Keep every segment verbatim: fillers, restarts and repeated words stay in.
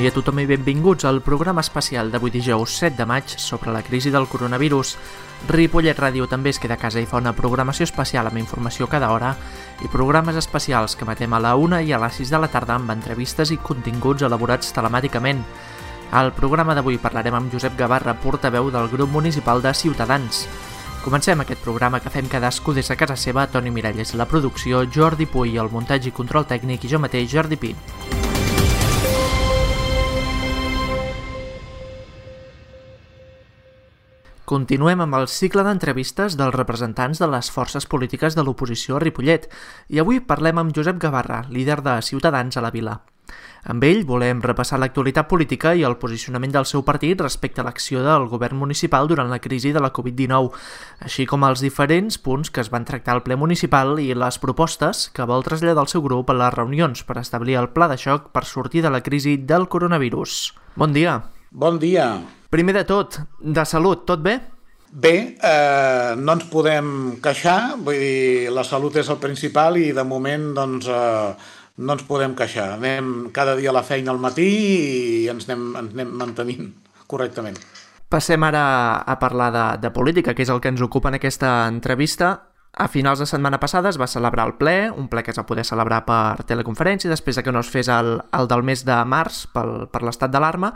dia a tothom i benvinguts al programa especial d'avui dijous set de maig sobre la crisi del coronavirus. Ripollet Ràdio també es queda a casa i fa una programació especial amb informació cada hora i programes especials que emetem a la una i a les sis de la tarda amb entrevistes i continguts elaborats telemàticament. Al programa d'avui parlarem amb Josep Gavarra, portaveu del grup municipal de Ciutadans. Comencem aquest programa que fem cadascú des de casa seva. Toni Miralles, la producció, Jordi Puy, el muntatge i control tècnic i jo mateix, Jordi Pi. Continuem amb el cicle d'entrevistes dels representants de les forces polítiques de l'oposició a Ripollet i avui parlem amb Josep Gavarra, líder de Ciutadans a la vila. Amb ell volem repassar l'actualitat política i el posicionament del seu partit respecte a l'acció del govern municipal durant la crisi de la covid dinou, així com els diferents punts que es van tractar al ple municipal i les propostes que vol traslladar el seu grup a les reunions per establir el pla de xoc per sortir de la crisi del coronavirus. Bon dia. Bon dia. Primer de tot, de salut, tot bé? Bé, eh, no ens podem queixar, vull dir, la salut és el principal i de moment doncs, eh, no ens podem queixar. Anem cada dia a la feina al matí i ens anem, ens anem mantenint correctament. Passem ara a parlar de, de política, que és el que ens ocupa en aquesta entrevista. A finals de setmana passada es va celebrar el ple, un ple que es va poder celebrar per teleconferència, després de que no es fes el, el del mes de març pel, per l'estat d'alarma.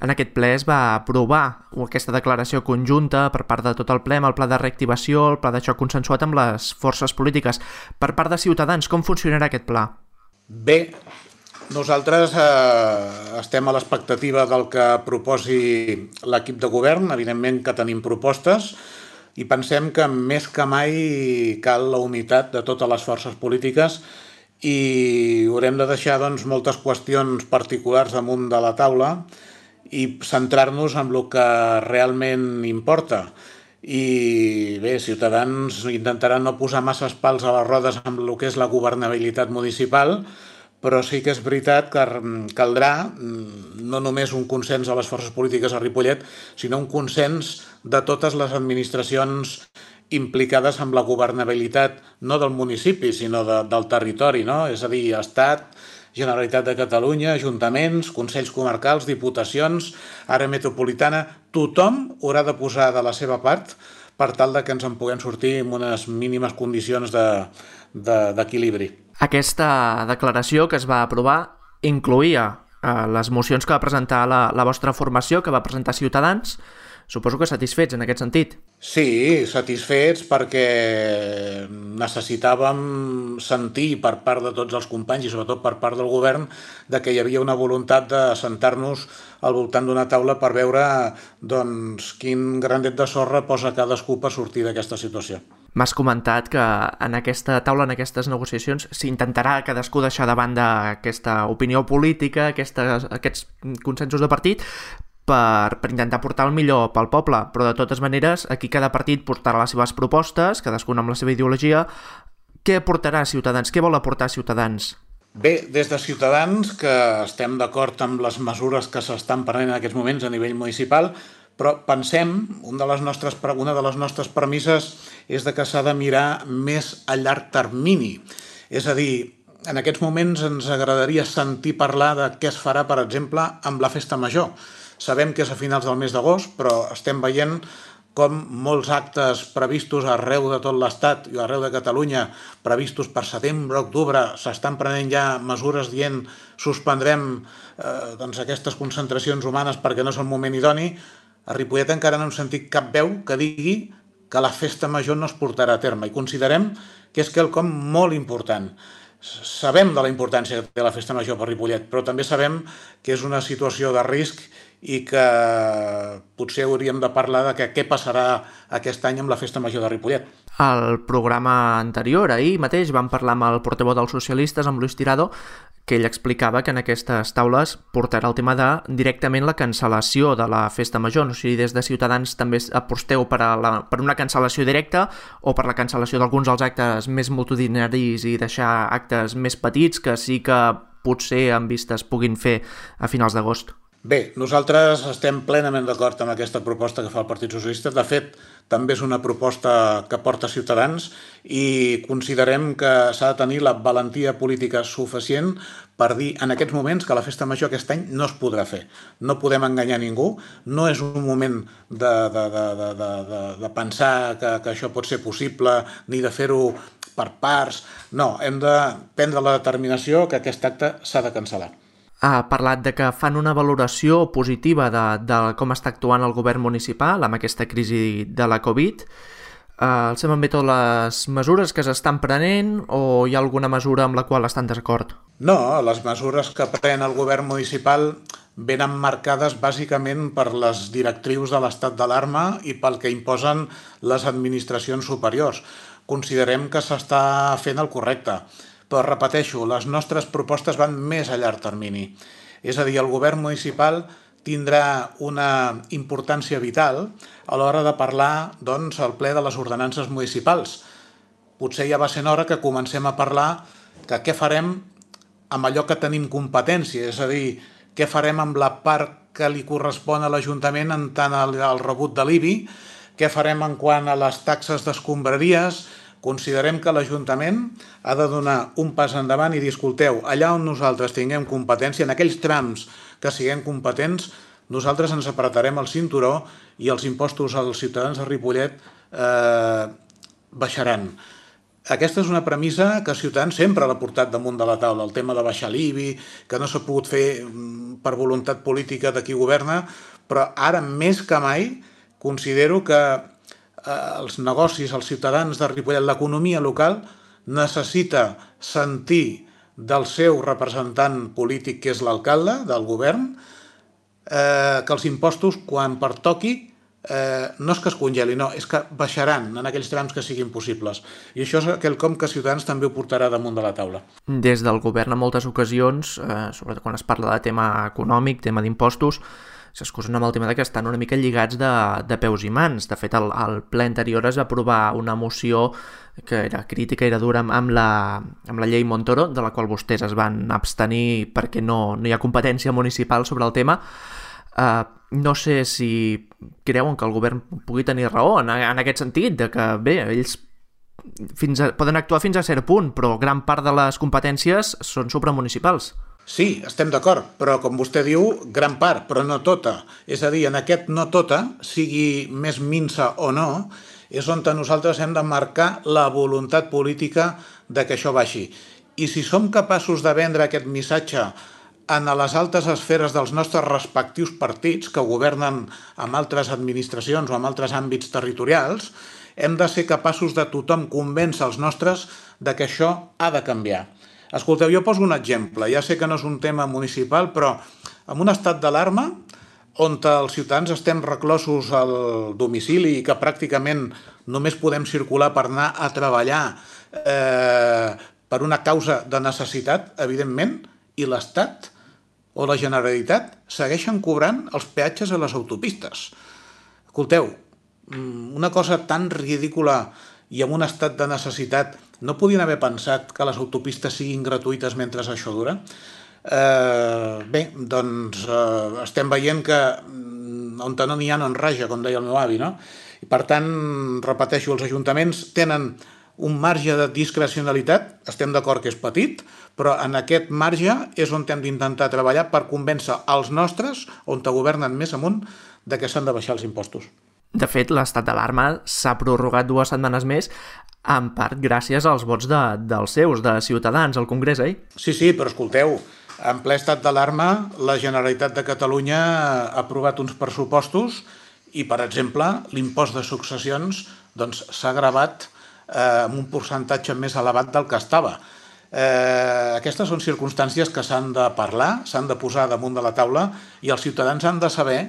En aquest ple es va aprovar aquesta declaració conjunta per part de tot el ple amb el pla de reactivació, el pla de xoc consensuat amb les forces polítiques. Per part de Ciutadans, com funcionarà aquest pla? Bé, nosaltres eh, estem a l'expectativa del que proposi l'equip de govern, evidentment que tenim propostes, i pensem que més que mai cal la unitat de totes les forces polítiques i haurem de deixar doncs, moltes qüestions particulars damunt de la taula i centrar-nos en el que realment importa. I bé, Ciutadans intentarà no posar masses pals a les rodes amb el que és la governabilitat municipal, però sí que és veritat que caldrà no només un consens de les forces polítiques a Ripollet, sinó un consens de totes les administracions implicades amb la governabilitat, no del municipi, sinó de, del territori, no? És a dir, Estat, Generalitat de Catalunya, ajuntaments, consells comarcals, diputacions, àrea metropolitana, tothom haurà de posar de la seva part per tal de que ens en puguem sortir en unes mínimes condicions de, de, d'equilibri. Aquesta declaració que es va aprovar incloïa eh, les mocions que va presentar la, la vostra formació, que va presentar Ciutadans. Suposo que satisfets en aquest sentit. Sí, satisfets perquè necessitàvem sentir per part de tots els companys i sobretot per part del govern de que hi havia una voluntat de sentar-nos al voltant d'una taula per veure doncs, quin granet de sorra posa cadascú per sortir d'aquesta situació. M'has comentat que en aquesta taula, en aquestes negociacions, s'intentarà cadascú deixar de banda aquesta opinió política, aquestes, aquests consensos de partit, per, per intentar portar el millor pel poble, però de totes maneres aquí cada partit portarà les seves propostes, cadascun amb la seva ideologia. Què aportarà Ciutadans? Què vol aportar Ciutadans? Bé, des de Ciutadans, que estem d'acord amb les mesures que s'estan prenent en aquests moments a nivell municipal, però pensem, una de les nostres, una de les nostres premisses és de que s'ha de mirar més a llarg termini. És a dir, en aquests moments ens agradaria sentir parlar de què es farà, per exemple, amb la festa major. Sabem que és a finals del mes d'agost, però estem veient com molts actes previstos arreu de tot l'Estat i arreu de Catalunya, previstos per setembre, octubre, s'estan prenent ja mesures dient suspendrem eh, doncs aquestes concentracions humanes perquè no és el moment idoni. A Ripollet encara no hem sentit cap veu que digui que la festa major no es portarà a terme i considerem que és quelcom molt important. Sabem de la importància que té la festa major per Ripollet, però també sabem que és una situació de risc i que potser hauríem de parlar de que què passarà aquest any amb la festa major de Ripollet. Al programa anterior, ahir mateix, vam parlar amb el portaveu dels socialistes, amb Luis Tirado, que ell explicava que en aquestes taules portarà el tema de directament la cancel·lació de la festa major. No sé si des de Ciutadans també aposteu per, a la, per una cancel·lació directa o per la cancel·lació d'alguns dels actes més multitudinaris i deixar actes més petits que sí que potser en vista es puguin fer a finals d'agost. Bé, nosaltres estem plenament d'acord amb aquesta proposta que fa el Partit Socialista. De fet, també és una proposta que porta Ciutadans i considerem que s'ha de tenir la valentia política suficient per dir en aquests moments que la festa major aquest any no es podrà fer. No podem enganyar ningú, no és un moment de, de, de, de, de, de, de pensar que, que això pot ser possible ni de fer-ho per parts. No, hem de prendre la determinació que aquest acte s'ha de cancel·lar. Ha parlat de que fan una valoració positiva de, de com està actuant el govern municipal amb aquesta crisi de la Covid. Uh, els semblen bé totes les mesures que s'estan prenent o hi ha alguna mesura amb la qual estan d'acord? No, les mesures que pren el govern municipal venen marcades bàsicament per les directrius de l'estat d'alarma i pel que imposen les administracions superiors. Considerem que s'està fent el correcte. Però repeteixo, les nostres propostes van més a llarg termini. És a dir, el govern municipal tindrà una importància vital a l'hora de parlar doncs, al ple de les ordenances municipals. Potser ja va sent hora que comencem a parlar que què farem amb allò que tenim competència, és a dir, què farem amb la part que li correspon a l'Ajuntament en tant al rebut de l'I B I, què farem en quant a les taxes d'escombraries. Considerem que l'Ajuntament ha de donar un pas endavant i dir, escolteu, allà on nosaltres tinguem competència, en aquells trams que siguem competents, nosaltres ens apretarem el cinturó i els impostos als ciutadans de Ripollet eh, baixaran. Aquesta és una premissa que Ciutadans sempre l'ha portat damunt de la taula, el tema de baixar l'I B I, que no s'ha pogut fer per voluntat política de qui governa, però ara més que mai considero que els negocis, els ciutadans de Ripollet, l'economia local necessita sentir del seu representant polític, que és l'alcalde del govern, eh, que els impostos, quan pertoqui, eh, no és que es congelin, no, és que baixaran en aquells trams que siguin possibles. I això és quelcom que Ciutadans també ho portarà damunt de la taula. Des del govern en moltes ocasions, eh, sobretot quan es parla de tema econòmic, tema d'impostos, s'excusen amb el tema de que estan una mica lligats de, de peus i mans. De fet, al, al ple anterior es va aprovar una moció que era crítica, era dura amb, amb, la, amb la llei Montoro, de la qual vostès es van abstenir perquè no, no hi ha competència municipal sobre el tema. Uh, no sé si creuen que el govern pugui tenir raó en, en aquest sentit, de que bé, ells fins a, poden actuar fins a cert punt, però gran part de les competències són supramunicipals. Sí, estem d'acord, però com vostè diu, gran part, però no tota. És a dir, en aquest no tota, sigui més minsa o no, és on nosaltres hem de marcar la voluntat política de que això baixi. I si som capaços de vendre aquest missatge en les altes esferes dels nostres respectius partits que governen amb altres administracions o amb altres àmbits territorials, hem de ser capaços de tothom convèncer els nostres de que això ha de canviar. Escolteu, jo poso un exemple, ja sé que no és un tema municipal, però en un estat d'alarma on els ciutadans estem reclosos al domicili i que pràcticament només podem circular per anar a treballar eh, per una causa de necessitat, evidentment, i l'Estat o la Generalitat segueixen cobrant els peatges a les autopistes. Escolteu, una cosa tan ridícula i en un estat de necessitat, no podien haver pensat que les autopistes siguin gratuïtes mentre això dura? Eh, bé, doncs eh, estem veient que on no n'hi ha no en raja, com deia el meu avi, no? I per tant, repeteixo, els ajuntaments tenen un marge de discrecionalitat, estem d'acord que és petit, però en aquest marge és on hem d'intentar treballar per convèncer els nostres, on governen més amunt, de que s'han de baixar els impostos. De fet, l'estat d'alarma s'ha prorrogat dues setmanes més, en part gràcies als vots de, dels seus, de Ciutadans, al Congrés, eh? Sí, sí, però escolteu, en ple estat d'alarma, la Generalitat de Catalunya ha aprovat uns pressupostos i, per exemple, l'impost de successions doncs, s'ha gravat eh, amb un percentatge més elevat del que estava. Eh, aquestes són circumstàncies que s'han de parlar, s'han de posar damunt de la taula i els ciutadans han de saber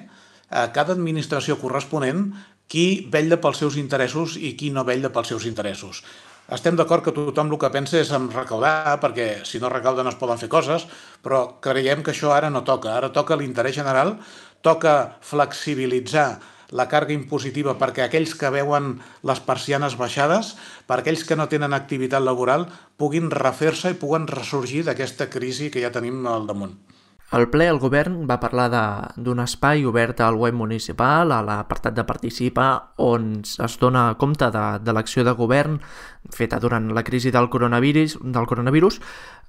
a cada administració corresponent qui vetlla pels seus interessos i qui no vetlla pels seus interessos. Estem d'acord que tothom el que pensa és en recaudar, perquè si no recauda no es poden fer coses, però creiem que això ara no toca. Ara toca l'interès general, toca flexibilitzar la càrrega impositiva perquè aquells que veuen les persianes baixades, per aquells que no tenen activitat laboral, puguin refer-se i puguen ressorgir d'aquesta crisi que ja tenim al damunt. Al ple, el govern va parlar d'un espai obert al web municipal, a l'apartat de Participa, on es dona compte de, de l'acció de govern feta durant la crisi del coronavirus. Del coronavirus.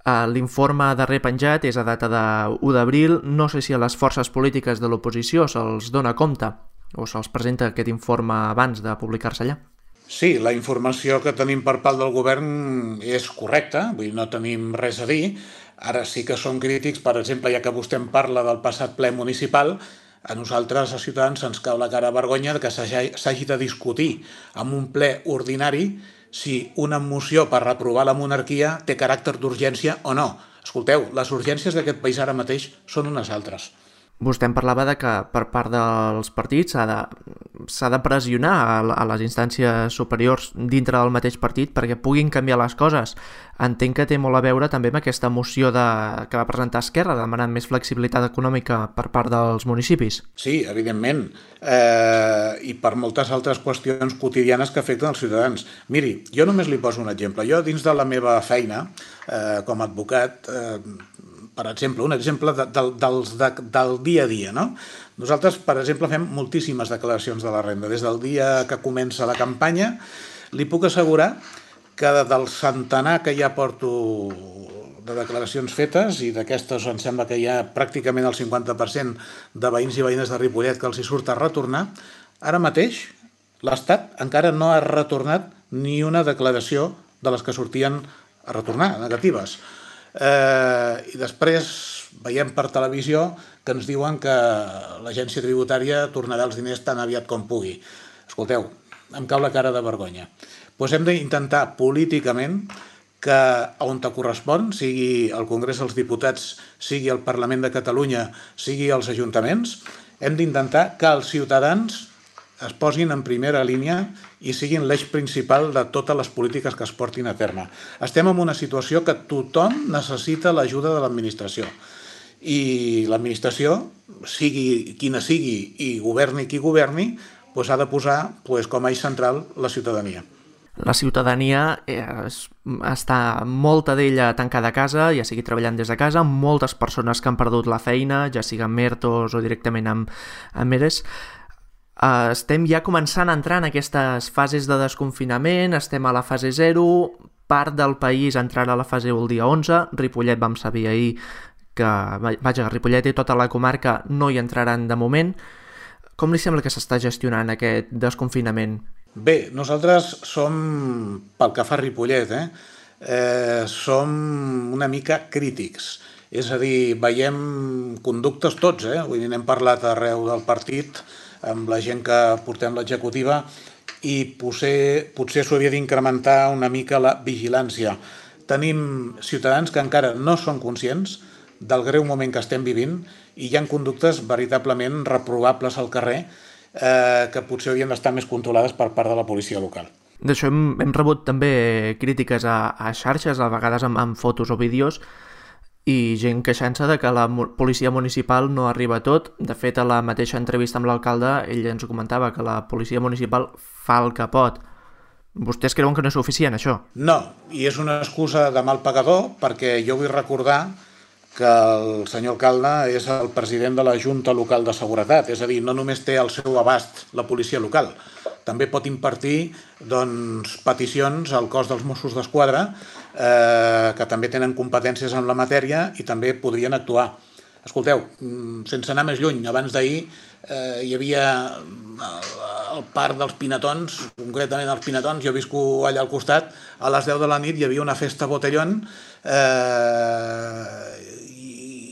Uh, L'informe darrer penjat és a data de u d'abril. No sé si a les forces polítiques de l'oposició se'ls dona compte o se'ls presenta aquest informe abans de publicar-se allà. Sí, la informació que tenim per part del govern és correcta, vull dir, no tenim res a dir. Ara sí que som crítics, per exemple, ja que vostè em parla del passat ple municipal, a nosaltres, a Ciutadans, ens cau la cara de vergonya que s'hagi de discutir en un ple ordinari si una moció per reprovar la monarquia té caràcter d'urgència o no. Escolteu, les urgències d'aquest país ara mateix són unes altres. Vostè em parlava de que per part dels partits s'ha de, s'ha de pressionar a, a les instàncies superiors dintre del mateix partit perquè puguin canviar les coses. Entenc que té molt a veure també amb aquesta moció de, que va presentar Esquerra demanant més flexibilitat econòmica per part dels municipis. Sí, evidentment, eh, i per moltes altres qüestions quotidianes que afecten els ciutadans. Miri, jo només li poso un exemple. Jo, dins de la meva feina eh, com a advocat, eh, per exemple, un exemple de, de, dels, de, del dia a dia, no? Nosaltres, per exemple, fem moltíssimes declaracions de la renda. Des del dia que comença la campanya, li puc assegurar que del centenar que ja porto de declaracions fetes, i d'aquestes em sembla que hi ha pràcticament el cinquanta per cent de veïns i veïnes de Ripollet que els hi surt a retornar, ara mateix l'Estat encara no ha retornat ni una declaració de les que sortien a retornar, negatives. Eh, I després veiem per televisió que ens diuen que l'agència tributària tornarà els diners tan aviat com pugui. Escolteu, em cau la cara de vergonya. Doncs hem d'intentar políticament que on te correspon, sigui el Congrés dels Diputats, sigui el Parlament de Catalunya, sigui els ajuntaments, hem d'intentar que els ciutadans es posin en primera línia i siguin l'eix principal de totes les polítiques que es portin a terme. Estem en una situació que tothom necessita l'ajuda de l'administració. I l'administració, sigui quina sigui i governi qui governi, doncs ha de posar doncs, com a eix central la ciutadania. La ciutadania és, està molta d'ella tancada a casa, ja sigui treballant des de casa, moltes persones que han perdut la feina, ja sigui amb ERTOs o directament amb, amb ERES. Uh, estem ja començant a entrar en aquestes fases de desconfinament, estem a la fase zero, part del país entrarà a la fase un el dia onze, Ripollet vam saber ahir que, vaja, Ripollet i tota la comarca no hi entraran de moment. Com li sembla que s'està gestionant aquest desconfinament? Bé, nosaltres som, pel que fa a Ripollet, eh, eh, som una mica crítics. És a dir, veiem conductes tots, eh? Vull dir, n'hem parlat arreu del partit, amb la gent que portem l'executiva, i potser, potser s'ho havia d'incrementar una mica la vigilància. Tenim ciutadans que encara no són conscients del greu moment que estem vivint i hi ha conductes veritablement reprovables al carrer eh, que potser haurien d'estar més controlades per part de la policia local. D'això hem, hem rebut també crítiques a, a xarxes, a vegades amb, amb fotos o vídeos, i gent queixant-se de que la policia municipal no arriba a tot. De fet, a la mateixa entrevista amb l'alcalde, ell ens comentava que la policia municipal fa el que pot. Vostès creuen que no és suficient, això? No, i és una excusa de mal pagador, perquè jo vull recordar que el senyor alcalde és el president de la Junta Local de Seguretat, és a dir, no només té al seu abast la policia local, també pot impartir doncs, peticions al cos dels Mossos d'Esquadra eh, que també tenen competències en la matèria i també podrien actuar. Escolteu, sense anar més lluny, abans d'ahir eh, hi havia el parc dels Pinatons, concretament els Pinatons, jo visco allà al costat, a les deu de la nit hi havia una festa botellón eh,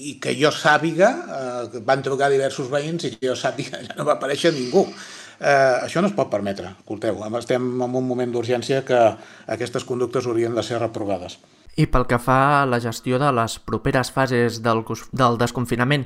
i que jo sàpiga, eh, van trucar diversos veïns i que jo sàpiga ja no va aparèixer ningú. Eh, això no es pot permetre, escolteu, estem en un moment d'urgència que aquestes conductes haurien de ser reprovades. I pel que fa a la gestió de les properes fases del, del desconfinament,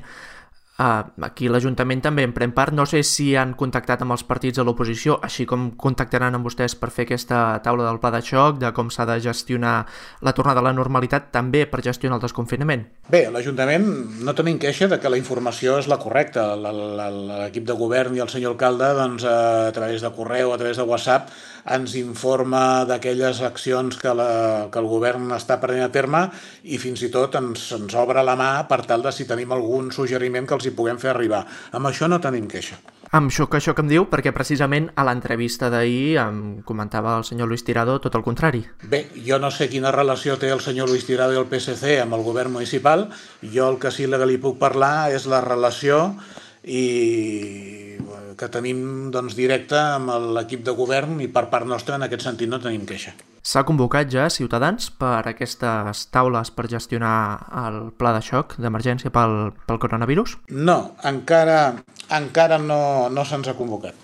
Aquí l'Ajuntament també en pren part. No sé si han contactat amb els partits de l'oposició, així com contactaran amb vostès per fer aquesta taula del pla de xoc, de com s'ha de gestionar la tornada a la normalitat, també per gestionar el desconfinament. Bé, l'Ajuntament no tenim queixa de que la informació és la correcta. L'equip de govern i el senyor alcalde, doncs, a través de correu, a través de WhatsApp, ens informa d'aquelles accions que, la, que el govern està prenent a terme i fins i tot ens, ens obre la mà per tal de si tenim algun suggeriment que els hi puguem fer arribar. Amb això no tenim queixa. Amb això que això que em diu, perquè precisament a l'entrevista d'ahir em comentava el senyor Luis Tirado tot el contrari. Bé, jo no sé quina relació té el senyor Luis Tirado i el P S C amb el govern municipal. Jo el que sí que li puc parlar és la relació i que tenim, doncs, directa amb l'equip de govern, i per part nostra en aquest sentit no tenim queixa. S'ha convocat ja Ciutadans per aquestes taules per gestionar el pla de xoc d'emergència pel, pel coronavirus? No, encara, encara no, no se'ns ha convocat.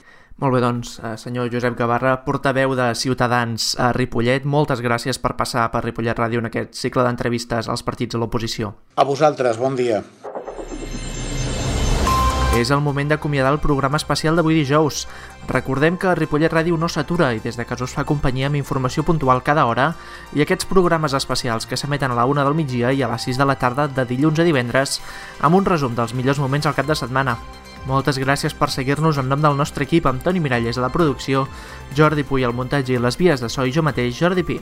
Molt bé, doncs, senyor Josep Gavarra, portaveu de Ciutadans a Ripollet, moltes gràcies per passar per Ripollet Ràdio en aquest cicle d'entrevistes als partits de l'oposició. A vosaltres, bon dia. És el moment d'acomiadar el programa especial d'avui dijous. Recordem que Ripollet Ràdio no s'atura i des de casa us fa companyia amb informació puntual cada hora i aquests programes especials que s'emeten a la una del migdia i a les sis de la tarda de dilluns a divendres amb un resum dels millors moments al cap de setmana. Moltes gràcies per seguir-nos en nom del nostre equip, amb Toni Miralles a la producció, Jordi Puy al muntatge i les vies de so i jo mateix, Jordi Pi.